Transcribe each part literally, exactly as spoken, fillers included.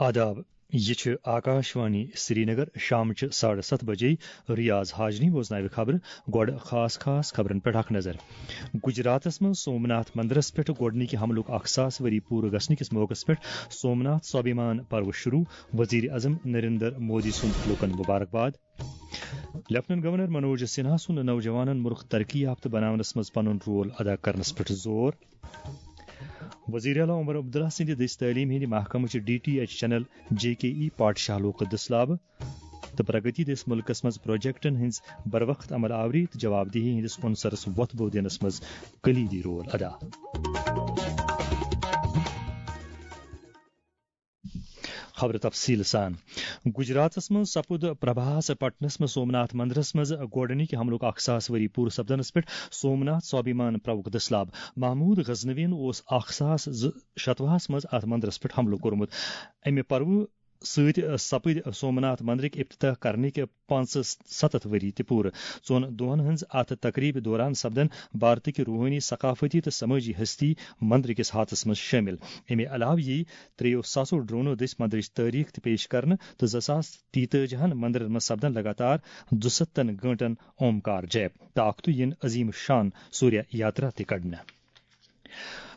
آداب، یہِ چھِ آکاشوانی سرینگر۔ شامچہِ ساڑٕ ستھ بجے ریاض حاجنی بوزناوِ خبرٕ۔ گۄڈٕ خاص خاص خبرن پٮ۪ٹھ اکھ نظر۔ گجراتس منٛز سومناتھ مندرس پٮ۪ٹھ گۄڈٕنِکہِ حملُک اکھ ساس ؤری پوٗرٕ گژھنہٕ کِس موقعس پٮ۪ٹھ سومناتھ سوابھیمان پرو شروع، وزیر اعظم نریندر مودی سُنٛد لوٗکن مبارکباد۔ لیفٹیننٹ گورنر منوج سنہا سُنٛد نوجوانن مُلک ترقی یافتہٕ بناونس منٛز پنُن رول ادا کرنس پٮ۪ٹھ زور۔ وزیر اعلیٰ عمر عبداللہ سٕنٛدِ دٔسۍ تعلیٖم ہٕنٛدِ محکمہٕ چہِ D T H channel J K E پاٹھشالُک دٔسلابہٕ تہٕ پرگتی دٔسۍ مُلکس منٛز پروجیکٹن ہٕنٛز بروقت عمل آوری تہٕ جواب دہی ہٕنٛدِس عنصرس وۄتھ بو دِنس منٛز کلیدی رول ادا۔ خبرٕ تفصیٖل سان۔ گجراتس منٛز سپُد پربھاس پٹنس منٛز سومناتھ مندرس منٛز گۄڈٕنِکۍ حملُک اکھ ساس ؤری پوٗرٕ سپدنس پٮ۪ٹھ سومناتھ سوابھیمان پرٛوُکھ دٔسلاب محمود غزنوین اوس اکھ ساس زٕ شتوُہس منٛز اتھ مندرس پٮ۪ٹھ حملہٕ کوٚرمُت۔ امہِ پرٛوُ سۭتۍ سپٕدۍ سومناتھ مندرٕکۍ افتتاح کرنٕکۍ پانٛژھ ستتھ ؤری تہِ پوٗرٕ۔ ژۄن دۄہن ہٕنٛز اتھ تقریبہِ دوران سپدن بھارتٕکۍ روحٲنی، ثقافتی تہٕ سمٲجی ہستی مندرٕکِس ہاتس منٛز شٲمِل۔ امہِ علاوٕ یِیہِ ترٛیٚیو ساسو ڈرونو دٔسۍ مندرٕچ تٲریخ تہِ پیش کرنہٕ تہٕ زٕ ساس تیتٲجی ہن مندرن منٛز سپدن لگاتار دُستن گٲنٹن اومکار جیپ تہٕ اکھتُے یِن عظیم شان سوریہ یاترا تہِ کڑنہٕ۔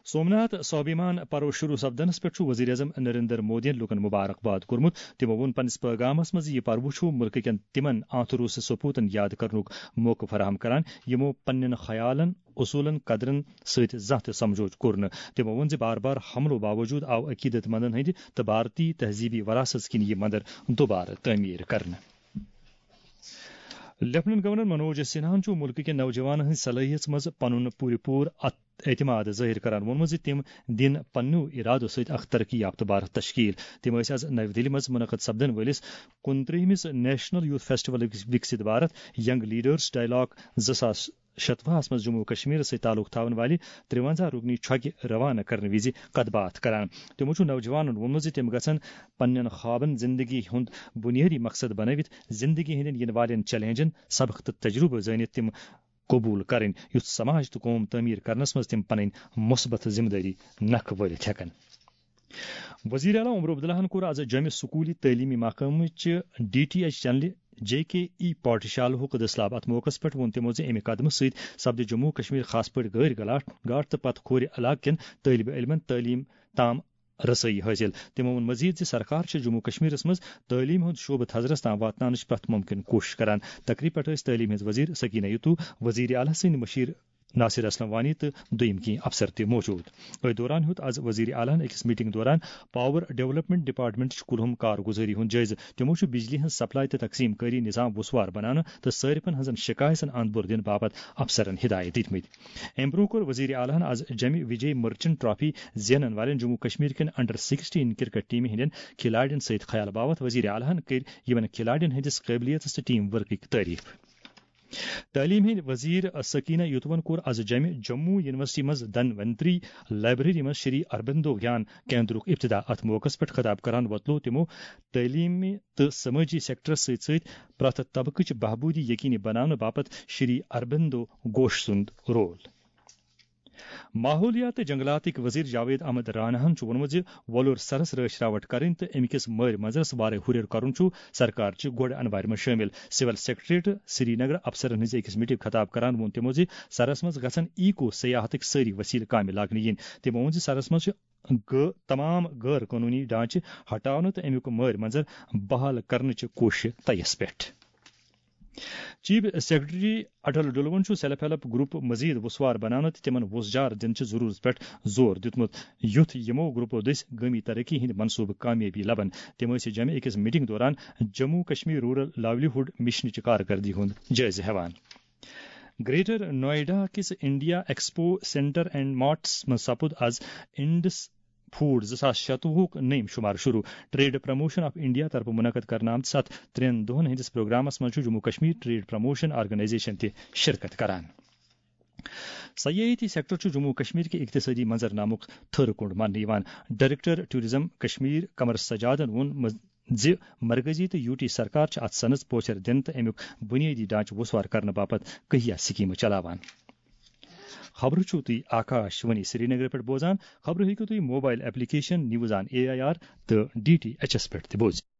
سومناتھ سوابھیمان پرو شروع سپدنس پٮ۪ٹھ چھُ وزیر اعظم نریندر مودیَن لوٗکن مبارکباد کوٚرمُت۔ تِمو ووٚن پننِس پیغامس منٛز، یہِ پرو چھُ مُلکہٕ کٮ۪ن تِمن آنتھروس سپوتن یاد کرنُک موقعہٕ فراہم کران، یِمو پننٮ۪ن خیالن، اصوٗلن، قدرن سۭتۍ زانٛہہ تہِ سمجھوتہٕ کوٚر نہٕ۔ تِمو ووٚن زِ بار بار حملو باوجود آو عقیدت مندن ہٕنٛدِ تہٕ بھارتی تہذیبی وراثت کِنۍ یہِ مندر دوبارٕ تعمیٖر کرنہٕ۔ لیفٹیننٹ گورنر منوج سنہاہن چھُ مُلکہٕ کٮ۪ن نوجوانن ہٕنٛز صلٲحیژ منٛز پنُن پوٗرٕ پوٗرٕ ات-، اعتماد ظٲہِر کران ووٚنمُت زِ تِم دِن پننیو ارادو سۭتۍ اکھ ترقی یافتہٕ بھارت تشکیل۔ تِم ٲسۍ از نَوِ دِلہِ منٛز منعقد سپدن وٲلِس کُنترٛہمِس نیشنل یوتھ فیسٹیول وکس-، Viksit Bharat young leaders dialogue زٕ ساس شتوُہس منٛز جموں و کشمیرس سۭتۍ تعلق تھاون والہِ ترٛوَنزاہ رُکنی چھۄکہِ روانہٕ کرنہٕ وِزِ کتھ باتھ کران۔ تِمو چھُ نوجوانن ووٚنمُت زِ تِم گژھن پننٮ۪ن خوابن زندگی ہُنٛد بُنیٲدی مقصد بنٲوِتھ زندگی ہٕنٛدٮ۪ن یِنہٕ والٮ۪ن چیلنجن سبق تہٕ تجربہٕ زٲنِتھ تِم قبول کرٕنۍ، یُتھ سماج تہٕ قوم تعمیٖر کرنس منٛز تِم پنٕنۍ مثبت ذمہٕ دٲری نکھٕ وٲلِتھ ہٮ۪کن۔ وزیر اعلیٰ عمر عبداللہن کوٚر از جوٚمہِ سکوٗلی تعلیمی محکمہٕ چہِ D T H چینلہِ J K ای پاٹھشالہُک دٔسلاب۔ اتھ موقعس پٮ۪ٹھ ووٚن تِمو زِ امہِ قدمہٕ سۭتۍ سپدِ جموں کشمیر خاص پٲٹھۍ غٲرۍ گلاٹ گاٹ تہٕ پتہٕ کھورِ علاقہٕ کٮ۪ن طٲلبہِ علمن تعلیٖم تام رسٲیی حٲصِل۔ تِمو ووٚن مزید زِ سرکار چھِ جموں کشمیرس منٛز تعلیٖم ہُنٛد شعبہٕ تھزرس تام واتناونٕچ پرٛٮ۪تھ مُمکِن کوٗشش کران۔ تقریب پٮ۪ٹھ ٲسۍ تعلیٖم ہٕنٛز وزیر سکینہ یتو، وزیر اعلیٰ سٕنٛدۍ مشیر ناصر اسلم وانی تہٕ دوٚیِم کینٛہہ افسر تہِ موجود۔ أتھۍ دوران ہیوٚت از وزیر اعلیٰ ہن أکِس میٹنگ دوران پاور ڈیولپمنٹ ڈپارٹمنٹٕچ کُلہُم کارگُزٲری ہُنٛد جٲیزٕ۔ تِمو چھُ بجلی ہٕنٛز سپلائی تہٕ تقسیٖم کٲری نظام وسوار بناونہٕ تہٕ صٲرفن ہٕنٛزن شکایژن اند بور دِنہٕ باپتھ افسرن ہدایت دِتمٕتۍ۔ امہِ برٛونٛہہ کوٚر وزیر اعلیٰ ہن از جمہِ وجے مرچنٹ ٹرافی زینن والٮ۪ن جموں کشمیر کٮ۪ن انڈر سکسٹین کرکٹ ٹیمہِ ہٕنٛدٮ۪ن کھلاڑٮ۪ن سۭتۍ خیال باپتھ وزیر اعلیٰ ہن کٔرۍ یِمن کھلاڑٮ۪ن ہٕنٛدِس قٲبلیتس تہٕ ٹیم ورکٕکۍ تعریف۔ تعلیٖم ہٕنٛدۍ وزیر سکینہ یوتوَن کوٚر از جمہِ جموں یونیورسٹی منٛز دھنونتری لائبریری منٛز شری اروبندو گیان کیندرُک افتتاح۔ اتھ موقعس پٮ۪ٹھ خطاب کران وۄتلوو تِمو تعلیٖمی تہٕ سمٲجی سیکٹرس سۭتۍ سۭتۍ پرٛٮ۪تھ طبقٕچ بہبوٗدی یقینی بناونہٕ باپتھ شری اروبندو گھوش سُنٛد رول۔ ماحولیات تہٕ جنگلاتٕکۍ وزیر جاوید احمد راناہن چھُ ووٚنمُت زِ وۄلُر سرس رٲچھ راوٹھ کرٕنۍ تہٕ اَمہِ کِس مٲرۍ منظرس وارے ہُرٮ۪ر کرُن چھُ سرکار چہِ گۄڈٕ انوارِ منٛز شٲمِل۔ سول سیکرٹریٹ سرینگر افسرن ہٕنٛزِ أکِس میٹنگ خطاب کران ووٚن تِمو زِ سرس منٛز گژھن ایکو سیاحتٕکۍ سٲری وسیلہٕ کامہِ لاگنہٕ یِنۍ۔ تِمو ووٚن زِ سرس منٛز چھِ غٲ-، تمام غٲر قونوٗنی ڈھانچہٕ ہٹاونہٕ تہٕ اَمیُک مٲرۍ منظر بحال کرنٕچہِ کوٗششہِ طیَس پٮ۪ٹھ۔ چیف سیکرٹری اٹل ڈلون چھُ سیلف ہیلپ گروپ مزید وسوار بناونہٕ تہٕ تِمن وُژھ جار دِنہٕ چہِ ضروٗرت پٮ۪ٹھ زور دیُتمُت، یُتھ یِمو گروپو دٔسۍ گٲمی ترقی ہٕنٛدۍ منصوبہٕ کامیٲبی لبن۔ تِم ٲسۍ جمہِ أکِس میٹنگ دوران جموں کشمیر رورل لائیولی ہُڈ مشنٕچہِ کارکردگی ہُنٛد جٲیزٕ ہٮ۪وان۔ گریٹر نوئیڈا کِس India expo centre and marts منٛز سپُد از انڈس فوڈ زٕ ساس شتوُہُک نٔیِم شُمار شروع۔ ٹریڈ پروموشن آف انڈیا طرفہٕ منعقد کرنہٕ آمتِس اتھ ترٛٮ۪ن دۄہن ہٕنٛدِس پروگرامس منٛز چھُ Jammu Kashmir Trade Promotion Organisation تہِ شرکت کران۔ سیاحتی سیکٹر چھُ جموں کشمیر کہِ اقتصٲدی منظرنامُک تھٔر کُنڈ ماننہٕ یِوان۔ ڈائریکٹر ٹورازم کشمیر قمر سجادن ووٚن مز-، زِ مرکزی تہٕ یوٗ ٹی سرکار چھِ اتھ صنعتس پوچھر دِنہٕ تہٕ امیُک بُنیٲدی ڈھانچہٕ وُژھوار کرنہٕ باپتھ کہیا سکیمہٕ چلاوان۔ خبرٕ چھِو تُہۍ آکاش وانی سرینگرٕ پٮ۪ٹھ بوزان۔ خبرٕ ہیٚکِو تُہۍ mobile application news on A I R تہٕ ڈی ٹی ایچ ایس پٮ۪ٹھ تہِ بوٗزِتھ۔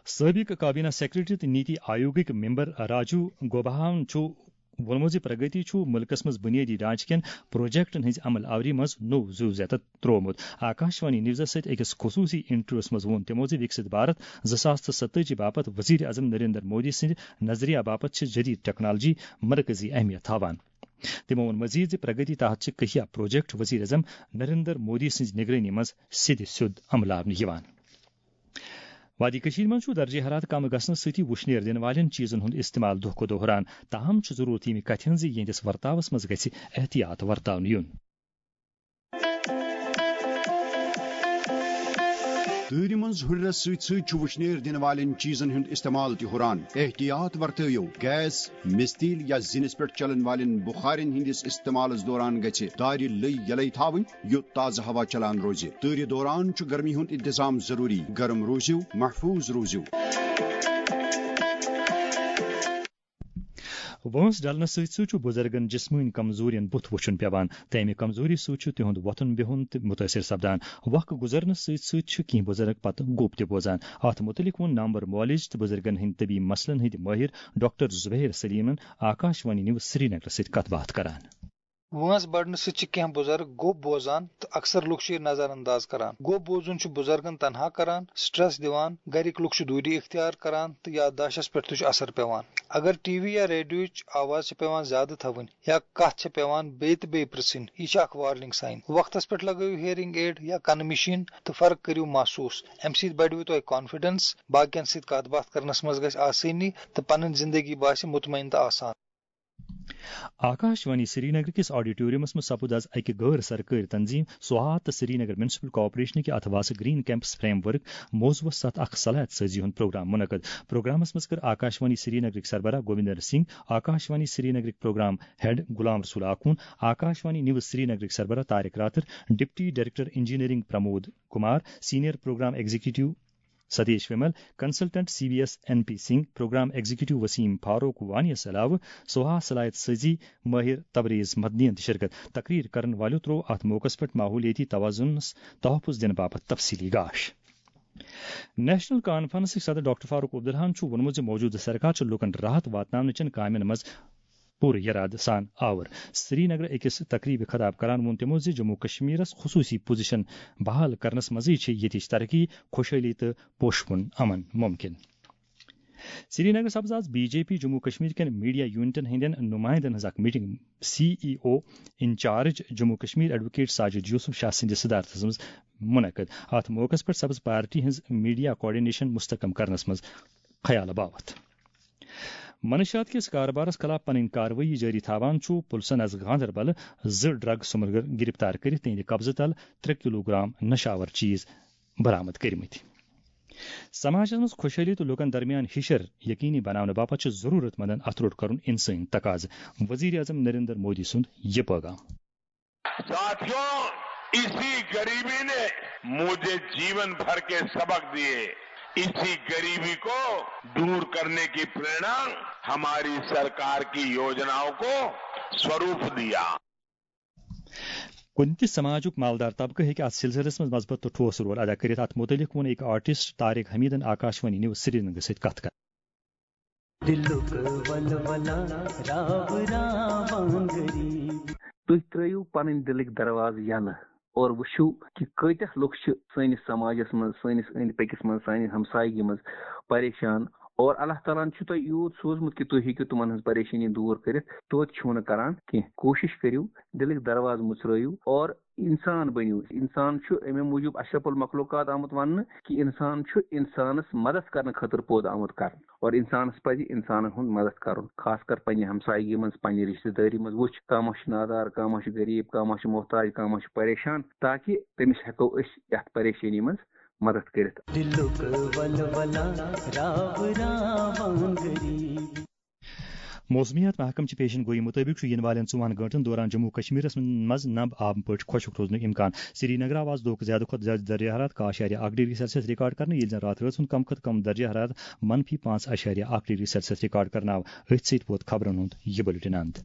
سٲبِق کابینہ سیکرٹری تہٕ نیتی آیوگٕکۍ ممبر راجو گوباہاہن چھُ ووٚنمُت زِ پرگتی چھُ مُلکَس منٛز بُنیٲدی ڈھانچہٕ کٮ۪ن پروجیکٹن ہٕنٛزِ عمل آوری منٛز نوٚو زُو زیتہٕ تروومُت۔ آکاش وانی نیوزس سۭتۍ أکِس خصوٗصی انٹرویوس منٛز ووٚن تِمو زِ وِکسِت بھارت زٕ ساس تہٕ ستٲجی باپتھ وزیر اعظم نریندر مودی سٕنٛدِ نظریہ باپتھ چھِ جدید ٹیکنالوجی مرکزی اہمیت تھاوان۔ تِمو ووٚن مزید زِ پرگتی تحت چھِ کہیا پروجیکٹ وزیر اعظم نریندر مودی سٕنٛزِ نگرٲنی منٛز سیٚدِ سیوٚد عملاونہٕ یِوان۔ وادی کٔشیٖرِ منٛز چھُ درجہ حرارت کم گژھنہٕ سۭتی وُشنیر دِنہٕ والٮ۪ن چیٖزن ہُنٛد استعمال دۄہ کھۄتہٕ دۄہ ہُران، تاہم چھُ ضروٗرت ییٚمہِ کتھِ ہٕنٛز زِ یِہنٛدِس ورتاوس منٛز گژھِ احتیاط ورتاونہٕ یُن۔ تۭرِ منٛز ہُرٮ۪رس سۭتۍ سۭتۍ چھُ وُشنیر دِنہٕ والٮ۪ن چیٖزن ہُنٛد استعمال تہِ ہُران۔ احتیاط ورتٲوِو۔ گیس، مِستیٖل یا زِنِس پٮ۪ٹھ چلن والٮ۪ن بُخارٮ۪ن ہٕنٛدِس استعمالس دوران گژھِ دارِ لٔۍ یلے تھاوٕنۍ، یُتھ تازٕ ہوا چلان روزِ۔ تۭرِ دوران چھُ گرمی ہُنٛد انتظام ضروٗری۔ گرم روٗزِو، محفوٗظ روٗزِو۔ وٲنٛس ڈلنہٕ سۭتۍ سۭتۍ چھُ بُزرگن جسمٲنی کمزوٗرین بُتھ وُچھُن پٮ۪وان تہٕ امہِ کمزوٗری سۭتۍ چھُ تِہُنٛد وۄتھُن بِہُن تہِ مُتٲثر سپدان۔ وق گُزرنہٕ سۭتۍ سۭتۍ چھِ کینٛہہ بُزرگ پتہٕ گوٚب تہِ بوزان۔ اتھ مُتعلق ووٚن نامور معالج تہٕ بُزرگن ہٕنٛدۍ طبی مسلن ہٕنٛدۍ مٲہِر ڈاکٹر زبیر سلیمن آکاش وانی نیوز سرینگرس سۭتۍ کتھ باتھ کران۔ وٲنٛس بڑنہٕ سۭتۍ چھِ کینٛہہ بُزرگ گوٚب بوزان تہٕ اکثر لُکھ چھِ یہِ نظر انداز کران۔ گوٚب بوزُن چھُ بُزرگن تنہا کران، سٹریس دِوان، گرِکۍ لُکھ چھِ دوٗری اختیار کران تہٕ یادداشتس پٮ۪ٹھ تہِ چھُ اثر پٮ۪وان۔ اگر ٹی وی یا ریڈیوٕچ آواز چھِ پٮ۪وان زیادٕ تھاوٕنۍ یا کتھ چھِ پٮ۪وان بیٚیہِ تہٕ بیٚیہِ پرژھٕنۍ، یہِ چھِ اکھ وارننگ سائن۔ وقتس پٮ۪ٹھ لگٲیِو ہیئرنگ ایڈ یا کنہٕ مشین تہٕ فرق کٔرِو محسوس۔ امہِ سۭتۍ بڑِوٕ تۄہہِ کانفیڈنس، باقین سۭتۍ کتھ باتھ کرنس منٛز گژھِ آسٲنی تہٕ پنٕنۍ زندگی باسہِ مطمئن تہٕ آسان۔ آکاش وانی سرینگر کِس آڈیٹورمس منٛز سپُد از اکہِ غٲر سرکٲرۍ تنظیٖم سوہا تہٕ سرینگر میونسپل کارپوریشن کہِ اتھواسہٕ گرین کیمپس فریم ورک موضوعس ستھ اکھ صلاحیت سٲزی ہُنٛد پروگرام منعقد۔ پروگرامس منٛز کٔر آکاش وانی سرینگرٕکۍ سربراہ گووندر سنگھ، آکاش وانی سرینگرٕکۍ programme head Ghulam Rasool Akhoon, Akashvani news سرینگرٕکۍ سربراہ Tariq Rather, deputy director engineering Pramod Kumar, senior programme executive Satish Vimal, consultant C B S N P Singh, programme executive Waseem Farooq وانیس علاوٕ سوہا صلاحیت سٲزی ماہر تبریز مدنین تہِ شرکت۔ تقریر کرن والٮ۪و تروو اتھ موقعس پٮ۪ٹھ ماحولیٲتی توازنس تحفظ دِنہٕ باپتھ تفصیلی گاش۔ نیشنل کانفرنسٕکۍ صدر ڈاکٹر فاروق عبداللہن چھُ ووٚنمُت زِ موجودٕ سرکار چھِ لوٗکن راحت واتناونہٕ چٮ۪ن کامٮ۪ن منٛز پوٗرٕ یرادٕ سان آور۔ سرینگرٕ أکِس تقریبہِ خطاب کران ووٚن تِمو زِ جموں کشمیرس خصوٗصی پوزیشن بحال کرنس منٛزٕے چھِ ییٚتِچ ترقی، خۄشحٲلی تہٕ پوشہٕ کُن امن ممکن۔ سرینگر سپز آز B J P Jammu Kashmir کٮ۪ن میڈیا یونٹن ہٕنٛدٮ۪ن نمائندن ہٕنٛز اکھ meeting C E O incharge Jammu Kashmir advocate Sajid Yousuf Shah سٕنٛدِس صدارتس منٛز منعقد۔ اتھ موقعس پٮ۪ٹھ سپز پارٹی ہٕنٛز میڈیا کوآرڈینیشن مستحکم کرنس منٛز خیال باوتھ۔ منشیات کِس کاربارس خلاف پنٕنۍ کاروٲیی جٲری تھاوان چھُ پُلسن از گاندربل زٕ ڈرگ سمگلر گرفتار کٔرِتھ تِہنٛدِ قبضہٕ تل ترٛےٚ کلوٗ گرام نشاور چیز برآمد کٔرمٕتۍ۔ سماجس منٛز خۄشحٲلی تہٕ لوٗکن درمیان ہِشر یقینی بناونہٕ باپتھ چھِ ضروٗرت مندن اتھٕ روٚٹ کرُن انسٲنی تقاضہٕ۔ وزیر اعظم نریندر مودی سُنٛد یہِ پٲغام۔ ساتھیوں، اسی غریبی نے مجھے جیون بھر کے سبق دیے۔ اسی غریبی کو दूर करने की प्रेरणा हमारी सरकार की योजनाओं को स्वरूप दिया। کُنہِ تہِ سماجُک مالدار طبقہٕ ہیٚکہِ اتھ سلسلس منٛز مثبت تہٕ ٹھوس رول ادا کٔرِتھ۔ اتھ مُتعلق ووٚن أکۍ آرٹسٹ طارق حمیدن آکاشوانی نیوز سرینگرس سۭتۍ کتھ کران۔ دلُک ولولہ راو راوان غریب۔ تُہۍ ترٲیِو پنٕنۍ دِلٕکۍ دروازٕ یلہٕ اور وٕچھِو کہِ کۭتیاہ لُکھ چھِ سٲنِس سماجس منٛز، سٲنِس أنٛدۍ پٔکِس منٛز، سانہِ ہمسایگی منٛز پریشان۔ اور اللہ تعالیٰ ہن چھُ تۄہہِ یوٗت سوٗزمُت کہِ تُہۍ ہیٚکِو تِمن ہٕنٛز پریشٲنی دوٗر کٔرِتھ، توتہِ چھِو نہٕ کران کینٛہہ۔ کوٗشِش کٔرِو، دِلٕکۍ دروازٕ مُژرٲیِو اور انسان بٔنِو۔ انسان چھُ اَمے موٗجوٗب اشرف المخلوقات آمُت وننہٕ کہِ انسان چھُ انسانس مدد کرنہٕ خٲطرٕ پٲدٕ آمُت کرنہٕ۔ اور انسانس پزِ انسانن ہُنٛد مدد کرُن، خاص کر پننہِ ہمسایگی منٛز، پننہِ رشتہٕ دٲری منٛز۔ وٕچھ، کانٛہہ ما چھُ نادار، کانٛہہ ما چھُ غریب، کانٛہہ ما چھُ محتاج، کانٛہہ ما چھُ پریشان، تاکہِ تٔمِس ہٮ۪کو أسۍ یتھ پریشٲنی منٛز مدد کٔرِتھ۔ دِلُک ولولہ راو راوان غریب۔ موسمیات محکمہٕ چہِ پیشن گویی مُطٲبِق چھُ یِنہٕ والٮ۪ن ژۄن گٲنٛٹن دوران جموں کشمیرس منٛز نم آب پٲٹھۍ خۄشک روزنُک امکان۔ سری نگرٕ آو آز دۄہُک زیادٕ کھۄتہٕ زیادٕ درجہ حرارت کاہ اعشاریہ اکھ ڈگری سیلسیس ریکارڈ کرنہٕ، ییٚلہِ زن راتھ رٲژ ہُنٛد کم کھۄتہٕ کم درجہ حرارت منفی پانٛژھ اعشاریہ اکھ ڈگری سیلسیس ریکارڈ کرنہٕ آو۔ أتھۍ سۭتۍ ووت خبرن ہُنٛد یہِ بُلٹن اند۔